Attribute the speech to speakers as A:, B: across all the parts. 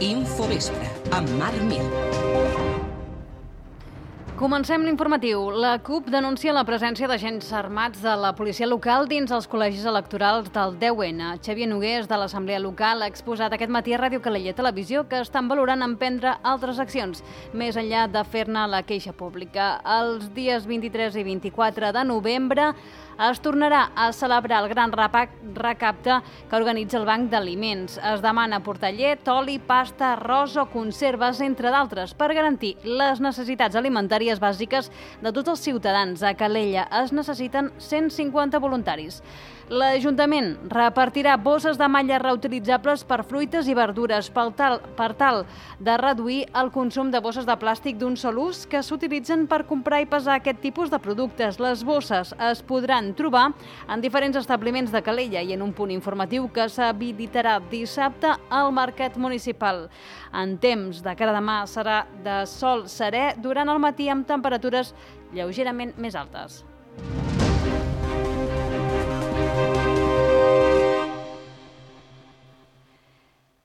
A: Infovespre, amb Marc Mir.
B: Comencem l'informatiu. La CUP denuncia la presència d'agents armats de la policia local dins els col·legis electorals del 10N. Xavier Nogués, de l'Assemblea Local, ha exposat aquest matí a Ràdio Calella Televisió que estan valorant emprendre altres accions, més enllà de fer-ne la queixa pública. Els dies 23 i 24 de novembre es tornarà a celebrar el gran recapte que organitza el Banc d'Aliments. Es demana portar llet, oli, pasta, arròs o conserves, entre d'altres, per garantir les necessitats alimentàries bàsiques de tots els ciutadans. A Calella es necessiten 150 voluntaris. L'Ajuntament repartirà bosses de malla reutilitzables per fruites i verdures per tal de reduir el consum de bosses de plàstic d'un sol ús que s'utilitzen per comprar i pesar aquest tipus de productes. Les bosses es podran trobar en diferents establiments de Calella i en un punt informatiu que s'habilitarà dissabte al Mercat Municipal. En temps de cara demà serà de sol serè durant el matí amb temperatures lleugerament més altes.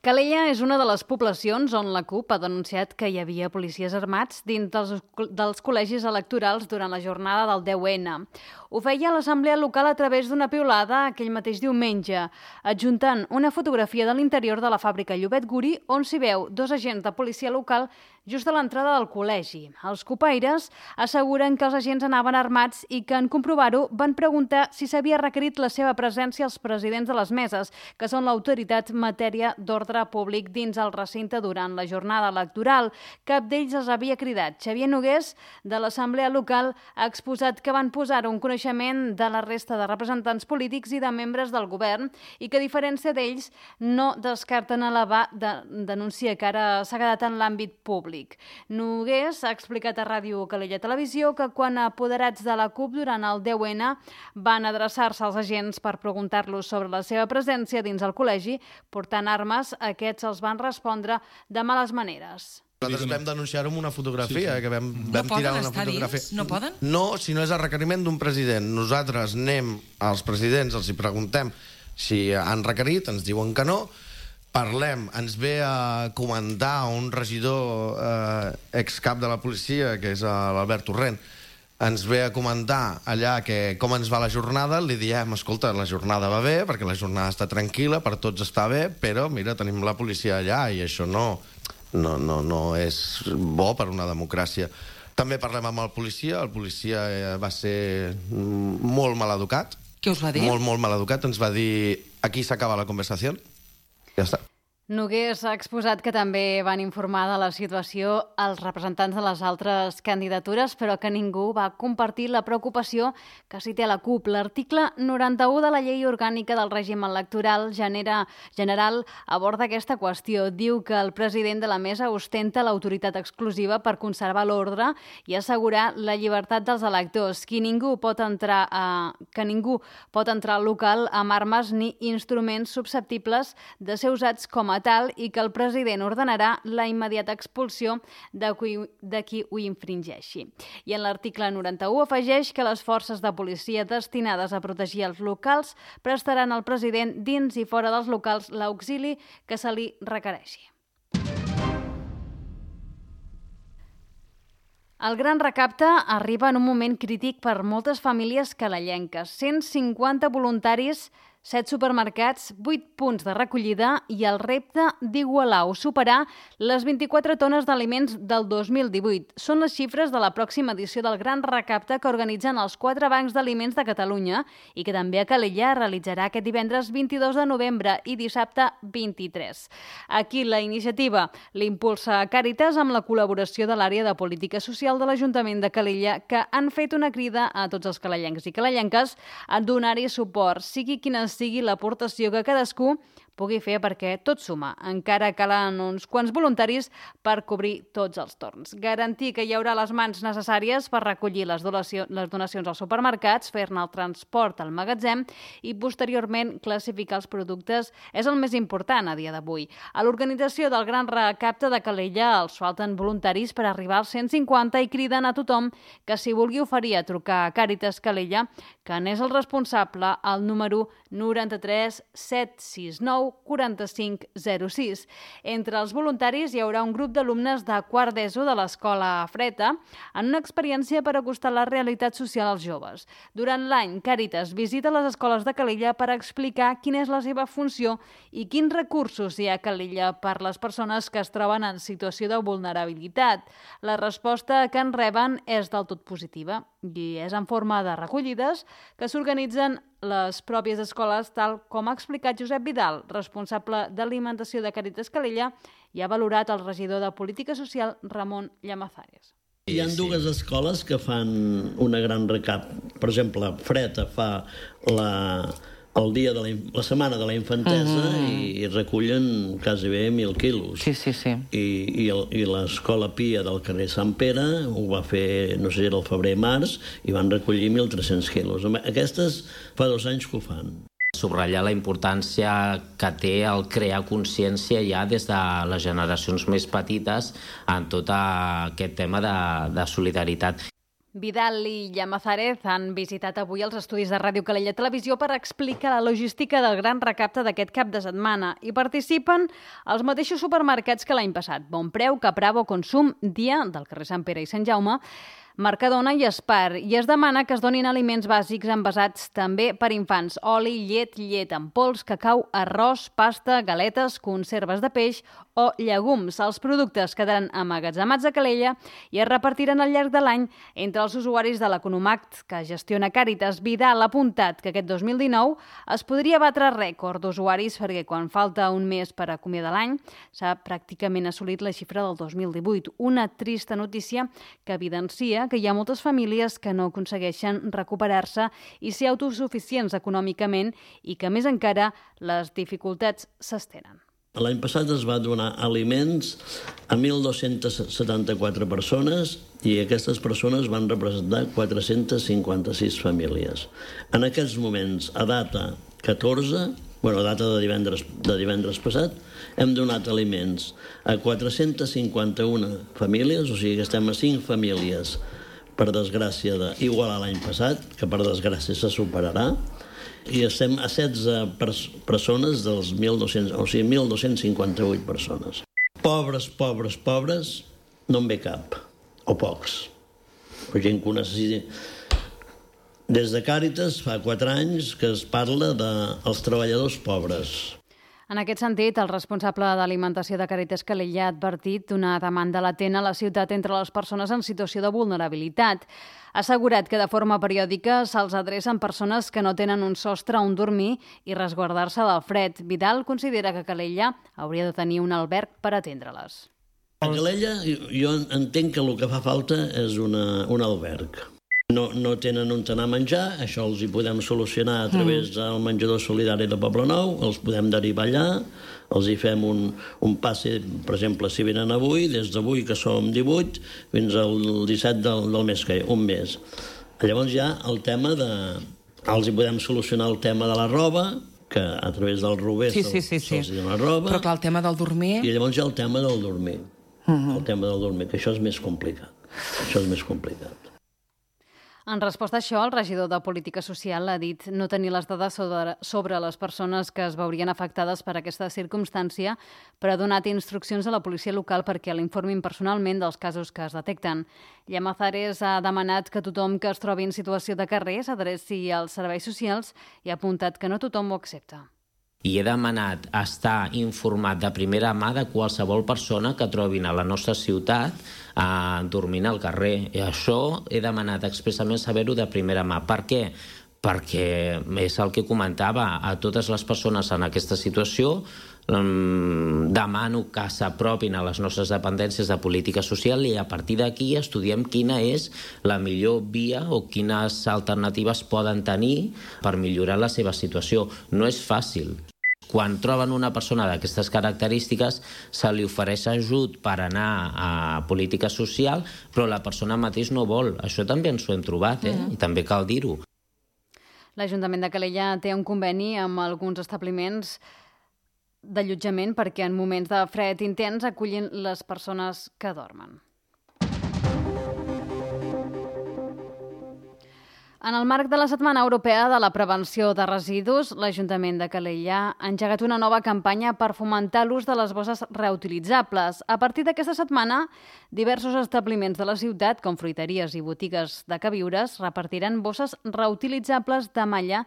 B: Calella és una de les poblacions on la CUP ha denunciat que hi havia policies armats dins dels col·legis electorals durant la jornada del 10N. Ho feia l'Assemblea Local a través d'una piulada aquell mateix diumenge, adjuntant una fotografia de l'interior de la fàbrica Llobet Guri on s'hi veu dos agents de policia local just a l'entrada del col·legi. Els copaires asseguren que els agents anaven armats i que en comprovar-ho van preguntar si s'havia requerit la seva presència als presidents de les meses, que són l'autoritat en matèria d'ordre públic dins el recinte durant la jornada electoral. Cap d'ells els havia cridat. Xavier Nogués, de l'Assemblea Local, ha exposat que van posar un coneixement de la resta de representants polítics i de membres del govern i que, a diferència d'ells, no descarten elevar denúncia que ara s'ha quedat en l'àmbit públic. Nogués ha explicat a Ràdio Calella Televisió que quan apoderats de la CUP durant el 10N van adreçar-se als agents per preguntar-los sobre la seva presència dins el col·legi, portant armes, aquests els van respondre de males maneres.
C: Nosaltres vam denunciar-ho amb una fotografia, que vam
D: No
C: tirar
D: poden
C: una
D: estar
C: fotografia.
D: dins? No poden?
C: No, si no és el requeriment d'un president. Nosaltres anem als presidents, els hi preguntem si han requerit, ens diuen que no, parlem, ens ve a comentar un regidor excap de la policia, que és l'Albert Torrent, ens ve a comentar allà com ens va la jornada, li diem, escolta, la jornada va bé, perquè la jornada està tranquil·la, per tots està bé, però mira, tenim la policia allà i això no és bo per una democràcia. També parlem amb el policia va ser molt maleducat.
D: Què us va dir?
C: Molt maleducat, ens va dir aquí s'acaba la conversació. Ja està.
B: Nogués ha exposat que també van informar de la situació als representants de les altres candidatures, però que ningú va compartir la preocupació que s'hi té a la CUP. L'article 91 de la Llei Orgànica del Règim Electoral General aborda aquesta qüestió. Diu que el president de la mesa ostenta l'autoritat exclusiva per conservar l'ordre i assegurar la llibertat dels electors, que ningú pot entrar al local amb armes ni instruments susceptibles de ser usats com a tal i que el president ordenarà la immediata expulsió de qui ho infringeixi. I en l'article 91 afegeix que les forces de policia destinades a protegir els locals prestaran al president dins i fora dels locals l'auxili que se li requereixi. El gran recapte arriba en un moment crític per moltes famílies calellenques. 150 voluntaris, 7 supermercats, 8 punts de recollida i el repte d'igualar o superar les 24 tones d'aliments del 2018. Són les xifres de la pròxima edició del gran recapte que organitzen els 4 bancs d'aliments de Catalunya i que també a Calella realitzarà aquest divendres 22 de novembre i dissabte 23. Aquí la iniciativa l'impulsa Càritas amb la col·laboració de l'àrea de política social de l'Ajuntament de Calella, que han fet una crida a tots els calellencs i calellenques a donar-hi suport, sigui quina sigui l'aportació que cadascú pugui fer perquè tot suma. Encara calen uns quants voluntaris per cobrir tots els torns. Garantir que hi haurà les mans necessàries per recollir les donacions als supermercats, fer-ne el transport al magatzem i posteriorment classificar els productes és el més important a dia d'avui. A l'organització del Gran Recapte de Calella els falten voluntaris per arribar als 150 i criden a tothom que s'hi vulgui oferir a trucar a Càritas Calella, que n'és el responsable, al número 93 769 4506. Entre els voluntaris hi haurà un grup d'alumnes de quart d'ESO de l'Escola Freta en una experiència per acostar la realitat social als joves. Durant l'any, Càritas visita les escoles de Calella per explicar quina és la seva funció i quins recursos hi ha a Calella per les persones que es troben en situació de vulnerabilitat. La resposta que en reben és del tot positiva i és en forma de recollides que s'organitzen les pròpies escoles, tal com ha explicat Josep Vidal, responsable d'alimentació de Càritas Calella, i ha valorat el regidor de Política Social, Ramon Llamazares.
D: Hi ha dues escoles que fan una gran recap. Per exemple, Freta fa la setmana de la infantesa i recullen quasi bé 1.000 quilos.
E: Sí.
D: I l'escola Pia del carrer Sant Pere ho va fer, no sé si era el febrer-març, i van recollir 1.300 quilos. Aquestes fa 2 anys que ho fan.
E: Subratllar la importància que té el crear consciència ja des de les generacions més petites en tot aquest tema de solidaritat.
B: Vidal i Llamazares han visitat avui els estudis de Ràdio Calella Televisió per explicar la logística del gran recapte d'aquest cap de setmana. Hi participen els mateixos supermercats que l'any passat: Bonpreu, Capravo, Consum, Dia, del carrer Sant Pere i Sant Jaume, Mercadona i Espar, i es demana que es donin aliments bàsics envasats també per infants: oli, llet en pols, cacau, arròs, pasta, galetes, conserves de peix o llegums. Els productes quedaran emmagatzemats a Calella i es repartiran al llarg de l'any entre els usuaris de l'Economact que gestiona Càritas. Vidal ha apuntat que aquest 2019 es podria batre rècord d'usuaris perquè quan falta un mes per acomiadar l'any s'ha pràcticament assolit la xifra del 2018. Una trista notícia que evidencia que hi ha moltes famílies que no aconsegueixen recuperar-se i ser autosuficients econòmicament i que, més encara, les dificultats s'estenen.
D: L'any passat es va donar aliments a 1.274 persones i aquestes persones van representar 456 famílies. En aquests moments, a data 14, a data de divendres passat, hem donat aliments a 451 famílies, o sigui que estem a 5 famílies, per desgràcia, igual a l'any passat, que per desgràcia se superarà, i estem a 16 persones dels 1.200, o sigui, 1.258 persones. Pobres, no en ve cap, o pocs. O gent que ho necessiti. Des de Càritas fa 4 anys que es parla dels treballadors pobres.
B: En aquest sentit, el responsable d'alimentació de Càritas Calella ha advertit una demanda latent a la ciutat entre les persones en situació de vulnerabilitat. Ha assegurat que de forma periòdica se'ls adrecen persones que no tenen un sostre on dormir i resguardar-se del fred. Vidal considera que Calella hauria de tenir un alberg per atendre-les.
D: A Calella jo entenc que el que fa falta és un alberg. No tenen on anar a menjar, això els hi podem solucionar a través del menjador solidari de Poblenou, els podem derivar allà, els hi fem un passe, per exemple, si venen avui, des d'avui, que som 18, fins al 17 del mes que un mes. Llavors ja el tema els hi podem solucionar el tema de la roba, que a través del Rober se'ls dona roba.
F: Però clar, el tema del dormir...
D: I llavors ja el tema del dormir. El tema del dormir, que això és més complicat.
B: En resposta a això, el regidor de Política Social ha dit no tenir les dades sobre les persones que es veurien afectades per aquesta circumstància, però ha donat instruccions a la policia local perquè l'informin personalment dels casos que es detecten. Llamazares ha demanat que tothom que es trobi en situació de carrer s'adreci als serveis socials i ha apuntat que no tothom ho accepta.
E: I he demanat estar informat de primera mà de qualsevol persona que trobin a la nostra ciutat dormint al carrer. I això he demanat expressament saber-ho de primera mà. Per què? Perquè és el que comentava, a totes les persones en aquesta situació demano que s'apropin a les nostres dependències de política social i a partir d'aquí estudiem quina és la millor via o quines alternatives poden tenir per millorar la seva situació. No és fàcil. Quan troben una persona d'aquestes característiques, se li ofereix ajut per anar a política social, però la persona mateix no vol. Això també ens ho hem trobat, i també cal dir-ho.
B: L'Ajuntament de Calella té un conveni amb alguns establiments d'allotjament perquè en moments de fred intens acullin les persones que dormen. En el marc de la Setmana Europea de la Prevenció de Residus, l'Ajuntament de Calella ha engegat una nova campanya per fomentar l'ús de les bosses reutilitzables. A partir d'aquesta setmana, diversos establiments de la ciutat, com fruiteries i botigues de queviures, repartiran bosses reutilitzables de malla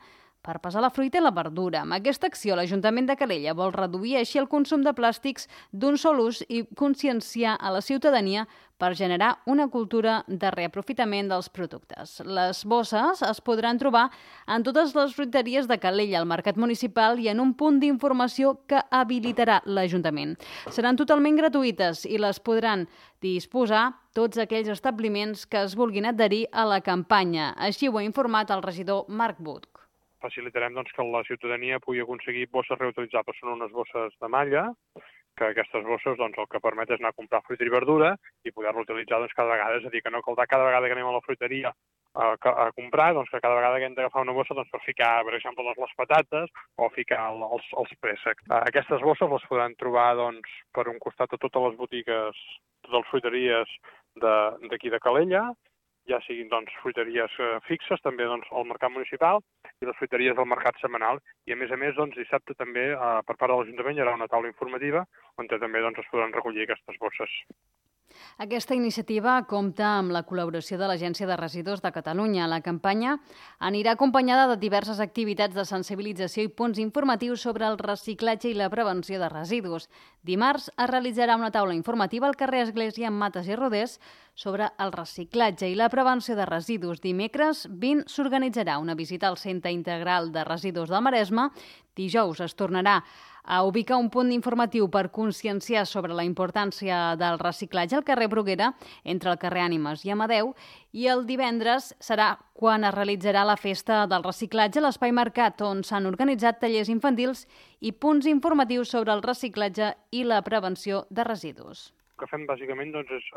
B: per pesar la fruita i la verdura. Amb aquesta acció, l'Ajuntament de Calella vol reduir així el consum de plàstics d'un sol ús i conscienciar a la ciutadania per generar una cultura de reaprofitament dels productes. Les bosses es podran trobar en totes les fruiteries de Calella, al mercat municipal i en un punt d'informació que habilitarà l'Ajuntament. Seran totalment gratuïtes i les podran disposar tots aquells establiments que es vulguin adherir a la campanya. Així ho ha informat el regidor Marc Buch.
F: Facilitarem que la ciutadania pugui aconseguir bosses reutilitzables. Són unes bosses de malla, que aquestes bosses el que permet és anar a comprar fruita i verdura i poder-lo utilitzar cada vegada. És a dir, que no caldrà cada vegada que anem a la fruiteria a comprar, que cada vegada que hem d'agafar una bossa per ficar, per exemple, les patates o ficar els préssecs. Aquestes bosses les podran trobar per un costat a totes les botigues, totes les fruiteries d'aquí de Calella, ja siguin fruiteries fixes, també al mercat municipal i les fruiteries del mercat setmanal. I a més, dissabte també, per part de l'Ajuntament, hi haurà una taula informativa on també es podran recollir aquestes bosses.
B: Aquesta iniciativa compta amb la col·laboració de l'Agència de Residus de Catalunya. La campanya anirà acompanyada de diverses activitats de sensibilització i punts informatius sobre el reciclatge i la prevenció de residus. Dimarts es realitzarà una taula informativa al carrer Església amb Mates i Rodés sobre el reciclatge i la prevenció de residus. Dimecres 20 s'organitzarà una visita al Centre Integral de Residus del Maresme. Dijous es tornarà a ubicar un punt informatiu per conscienciar sobre la importància del reciclatge al carrer Bruguera, entre el carrer Ànimes i Amadeu, i el divendres serà quan es realitzarà la festa del reciclatge a l'Espai Mercat, on s'han organitzat tallers infantils i punts informatius sobre el reciclatge i la prevenció de residus.
F: El que fem bàsicament és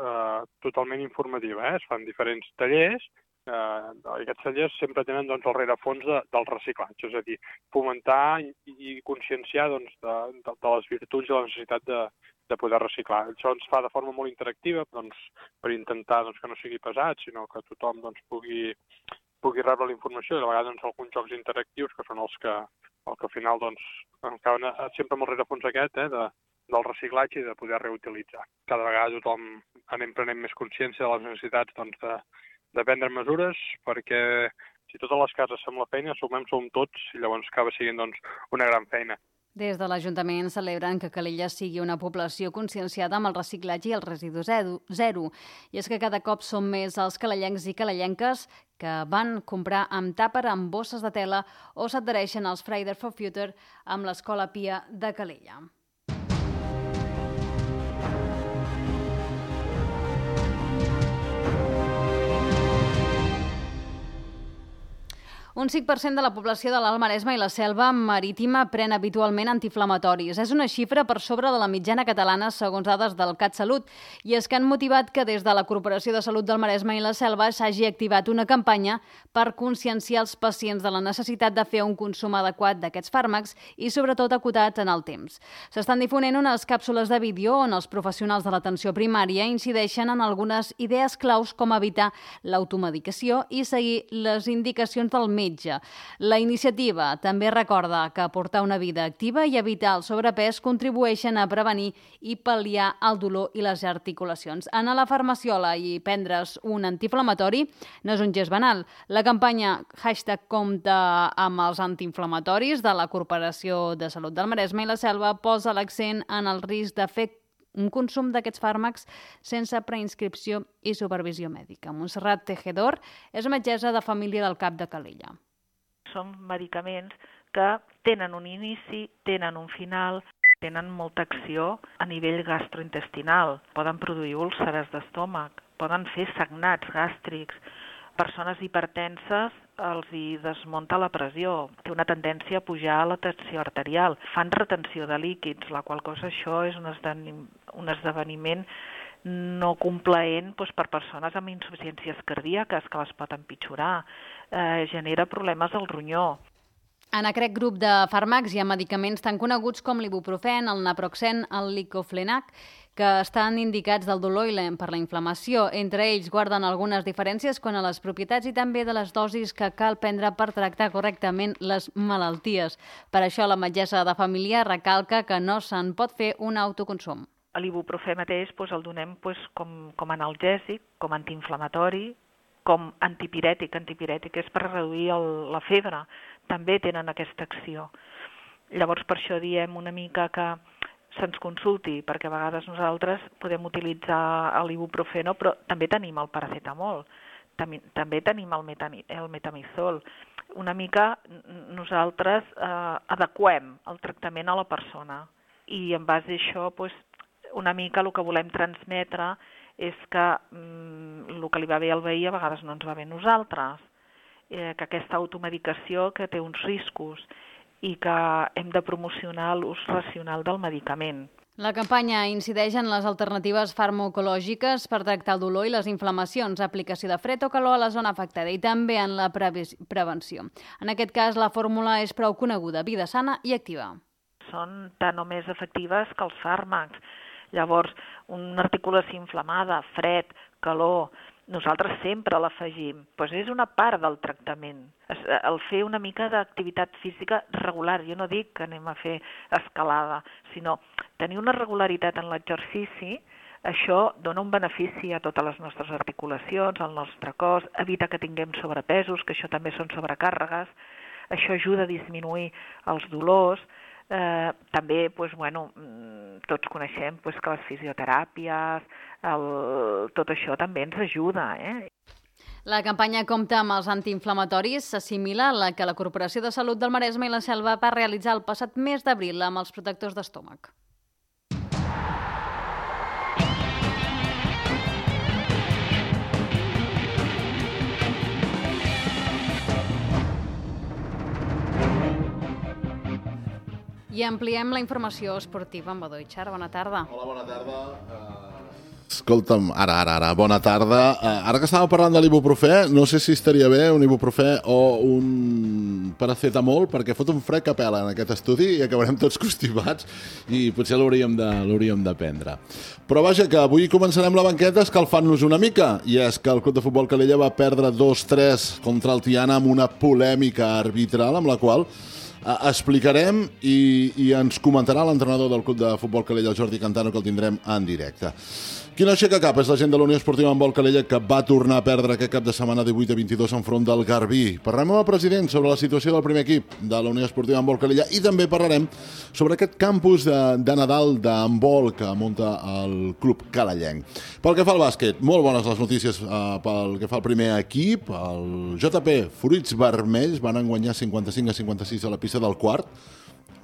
F: totalment informatiu. Es fan diferents tallers. Aquests tallers sempre tenen el rerefons del reciclatge, és a dir, fomentar i conscienciar de les virtuts i la necessitat de poder reciclar. Això ens fa de forma molt interactiva per intentar que no sigui pesat, sinó que tothom pugui rebre la informació i a vegades alguns jocs interactius que són els que al final acaben sempre amb el rerefons aquest del reciclatge i de poder reutilitzar. Cada vegada tothom anem prenent més consciència de les necessitats de prendre mesures, perquè si totes les cases fem la feina, som tots i llavors acaba sent una gran feina.
B: Des de l'Ajuntament celebren que Calella sigui una població conscienciada amb el reciclatge i el residu zero. I és que cada cop són més els calellencs i calellenques que van comprar amb tàper amb bosses de tela o s'adhereixen als Fridays for Future amb l'Escola Pia de Calella. Un 5% de la població de l'Alt Maresme i la Selva Marítima pren habitualment antiinflamatoris. És una xifra per sobre de la mitjana catalana, segons dades del CatSalut. I és que han motivat que des de la Corporació de Salut del Maresme i la Selva s'hagi activat una campanya per conscienciar els pacients de la necessitat de fer un consum adequat d'aquests fàrmacs i, sobretot, acotats en el temps. S'estan difonent unes càpsules de vídeo on els professionals de l'atenció primària incideixen en algunes idees claus com evitar l'automedicació i seguir les indicacions del metge. La iniciativa també recorda que portar una vida activa i evitar el sobrepès contribueixen a prevenir i pal·liar el dolor i les articulacions. Anar a la farmaciola i prendre's un antiinflamatori no és un gest banal. La campanya #compta amb els antiinflamatoris de la Corporació de Salut del Maresme i la Selva posa l'accent en el risc de fer un consum d'aquests fàrmacs sense preinscripció i supervisió mèdica. Montserrat Tejedor és metgessa de família del CAP de Calella.
G: Són medicaments que tenen un inici, tenen un final, tenen molta acció a nivell gastrointestinal. Poden produir úlceres d'estómac, poden fer sagnats gàstrics. Persones hipertenses els hi desmunta la pressió, té una tendència a pujar la tensió arterial, fan retenció de líquids, la qual cosa això és un esdeveniment no complaent per persones amb insuficiències cardíaques que les pot empitjorar, genera problemes al ronyó.
B: En aquest grup de fàrmacs hi ha medicaments tan coneguts com l'ibuprofen, el naproxen, el diclofenac, que estan indicats del dolor i per la inflamació. Entre ells guarden algunes diferències quant a les propietats i també de les dosis que cal prendre per tractar correctament les malalties. Per això la metgessa de família recalca que no se'n pot fer un autoconsum.
G: L'ibuprofè mateix el donem com analgèsic, com antiinflamatori, com antipirètic. Antipirètic és per reduir la febre. També tenen aquesta acció. Llavors, per això diem una mica que se'ns consulti, perquè a vegades nosaltres podem utilitzar l'ibuprofeno, però també tenim el paracetamol, també tenim el metamizol. Una mica nosaltres adequem el tractament a la persona i en base a això una mica el que volem transmetre és que el que li va bé al veí a vegades no ens va bé a nosaltres, que aquesta automedicació que té uns riscos i que hem de promocionar l'ús racional del medicament.
B: La campanya incideix en les alternatives farmacològiques per tractar el dolor i les inflamacions, aplicació de fred o calor a la zona afectada i també en la prevenció. En aquest cas, la fórmula és prou coneguda, vida sana i activa.
G: Són tan o més efectives que els fàrmacs. Llavors, una articulació inflamada, fred, calor, nosaltres sempre l'afegim. És una part del tractament. El fer una mica d'activitat física regular. Jo no dic que anem a fer escalada, sinó tenir una regularitat en l'exercici. Això dona un benefici a totes les nostres articulacions, al nostre cos, evita que tinguem sobrepesos, que això també són sobrecàrregues. Això ajuda a disminuir els dolors. També, tots coneixem que les fisioteràpies, tot això també ens ajuda.
B: La campanya compta amb els antiinflamatoris, s'assimila a la que la Corporació de Salut del Maresme i la Selva va realitzar el passat mes d'abril amb els protectors d'estómac. I ampliem la informació esportiva amb Badó Itxar. Bona tarda.
H: Hola, bona tarda. Escolta'm, ara, bona tarda. Ara que estàvem parlant de l'ibuprofè, no sé si estaria bé un ibuprofè o un paracetamol, perquè fot un fred que pela en aquest estudi i acabarem tots constipats i potser l'hauríem de prendre. Però vaja, que avui començarem la banqueta escalfant-nos una mica, i és que el Club de Futbol Calella va perdre 2-3 contra el Tiana amb una polèmica arbitral amb la qual explicarem i ens comentarà l'entrenador del Club de Futbol Calella, el Jordi Cantano, que el tindrem en directe. Qui no aixeca cap és la gent de la Unió Esportiva Handbol Calella, que va tornar a perdre aquest cap de setmana 18-22 enfront del Garbí. Parlarem amb el president sobre la situació del primer equip de la Unió Esportiva Handbol Calella i també parlarem sobre aquest campus de Nadal d'handbol que munta el club calellenc. Pel que fa al bàsquet, molt bones les notícies pel que fa al primer equip. El JP Fruits Vermells van guanyar 55-56 a la pista del quart.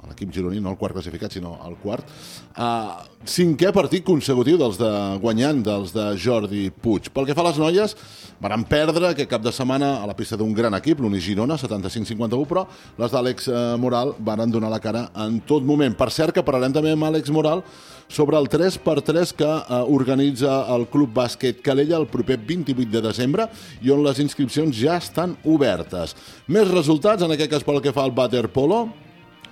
H: L'equip gironí, no el quart classificat, sinó el quart. Cinquè partit consecutiu guanyant dels de Jordi Puig. Pel que fa a les noies, van perdre aquest cap de setmana a la pista d'un gran equip, l'Uni Girona, 75-51, però les d'Àlex Moral van donar la cara en tot moment. Per cert, que parlarem també amb Àlex Moral sobre el 3x3 que organitza el Club Bàsquet Calella el proper 28 de desembre i on les inscripcions ja estan obertes. Més resultats, en aquest cas pel que fa al waterpolo.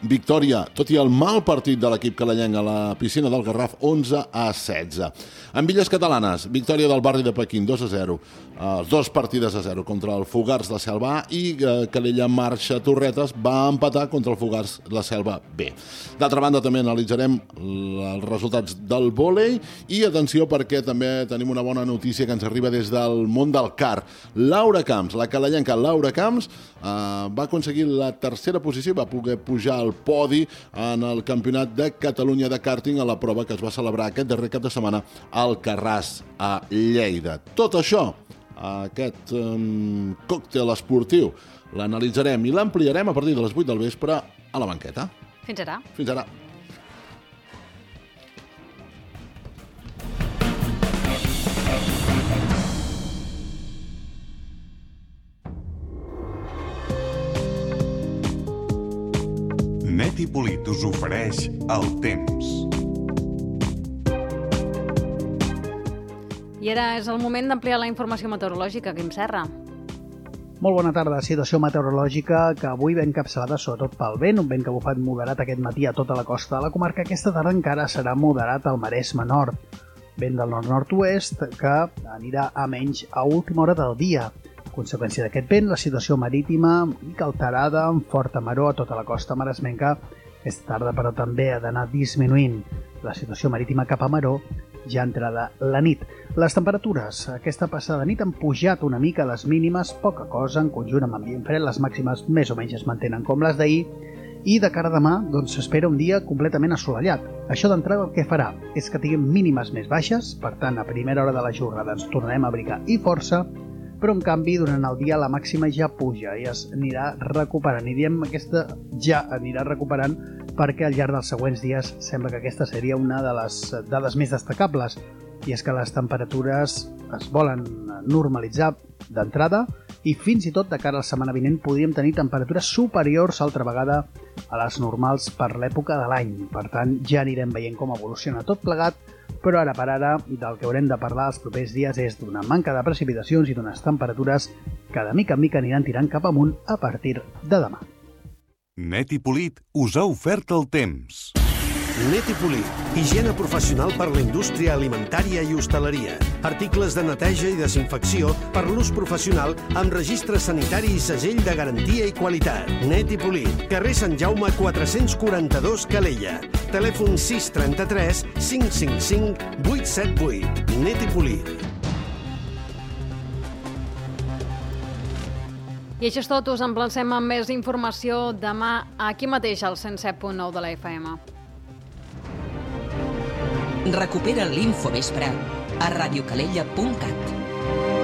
H: Victòria, tot i el mal partit de l'equip calellenc a la piscina del Garraf, 11-16. En Illes Catalanes, victòria del barri de Pequín, 2-0. 2 partides a 0 contra el Fogars de Selva A i Calella Marxa Torretes va empatar contra el Fogars la Selva B. D'altra banda, també analitzarem els resultats del vòlei i atenció perquè també tenim una bona notícia que ens arriba des del món del kart. Laura Camps, la calellenca Laura Camps, va aconseguir la tercera posició i va poder pujar al podi en el Campionat de Catalunya de kàrting a la prova que es va celebrar aquest darrer cap de setmana al Carràs a Lleida. Tot això, aquest còctel esportiu, l'analitzarem i l'ampliarem a partir de les 8 del vespre a la banqueta.
B: Fins ara.
H: Fins ara.
I: Net i Polit us ofereix el temps.
B: I ara és el moment d'ampliar la informació meteorològica, Quim Serra.
J: Molt bona tarda. Situació meteorològica que avui ve encapçalada sobretot pel vent, un vent que ha bufat moderat aquest matí a tota la costa de la comarca. Aquesta tarda encara serà moderat al Maresme Nord. Vent del nord-nord-oest que anirà a menys a última hora del dia. A conseqüència d'aquest vent, la situació marítima mica alterada, amb forta maror a tota la costa maresmenca. Aquesta tarda, però, també ha d'anar disminuint. La situació marítima cap a maror ja entrada la nit. Les temperatures aquesta passada nit han pujat una mica les mínimes, poca cosa, en conjunt amb ambient fred, les màximes més o menys es mantenen com les d'ahir, i de cara a demà s'espera un dia completament assolellat. Això d'entrada el que farà és que tinguem mínimes més baixes, per tant, a primera hora de la jornada ens tornarem a abrigar i força, però en canvi durant el dia la màxima ja puja i es anirà recuperant, i diem aquesta ja anirà recuperant perquè al llarg dels següents dies sembla que aquesta seria una de les dades més destacables, i és que les temperatures es volen normalitzar d'entrada i fins i tot de cara a la setmana vinent podríem tenir temperatures superiors altra vegada a les normals per l'època de l'any. Per tant, ja anirem veient com evoluciona tot plegat, però ara per ara del que haurem de parlar els propers dies és d'una manca de precipitacions i d'unes temperatures que de mica en mica aniran tirant cap amunt a partir de demà.
I: Net i Polit us ha ofert el temps.
K: Net i Polit, higiene professional per la indústria alimentària i hostaleria. Articles de neteja i desinfecció per l'ús professional amb registre sanitari i segell de garantia i qualitat. Net i Polit, carrer Sant Jaume 442 Calella. Telèfon 633 555 878. Net i Polit.
B: I això és tot, us emplacem amb més informació demà aquí mateix al 107.9 de la FM.
A: Recupera l'Infovespre a radiocalella.cat.